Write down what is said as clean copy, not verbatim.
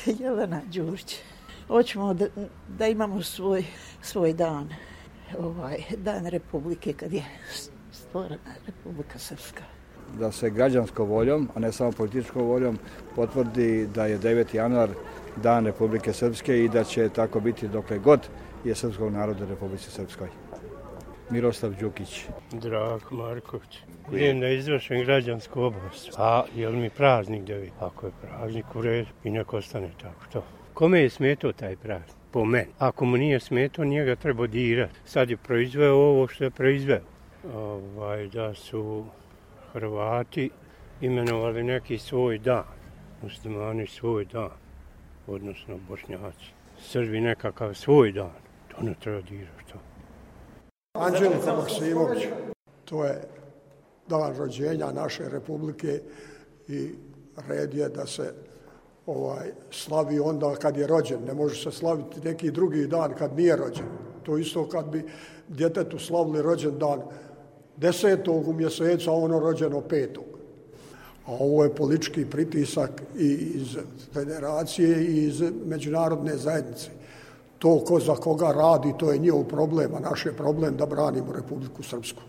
Jelena Đurić. Hoćemo da imamo svoj dan, dan Republike, kad je stvorena Republika Srpska. Da se građanskom voljom, a ne samo političkom voljom, potvrdi da je 9. januar dan Republike Srpske i da će tako biti dokle god je srpskog naroda u Republici Srpskoj. Miroslav Đukić. Drako Marković. Idem da izvršim građansku obavezu. A je li mi praznik 9? Ako je praznik u redu i nek ostane tako to. Kome je smetao taj praznik? Po meni. Ako mu nije smetao, njega treba dirati. Sad je proizveo ovo što je proizveo. Da su Hrvati imenovali neki svoj dan. Muslimani svoj dan. Odnosno Bošnjaci. Srbi nekakav svoj dan. To ne treba dirati to. Anđelko Maksimović, to je dan rođenja naše republike i red je da se slavi onda kad je rođen. Ne može se slaviti neki drugi dan kad nije rođen. To isto kad bi djetetu slavili rođendan 10. u mjesecu, a ono rođeno 5. A ovo je politički pritisak i iz federacije i iz međunarodne zajednice. To ko za koga radi, to je njihov problem, a naš je problem da branimo Republiku Srpsku.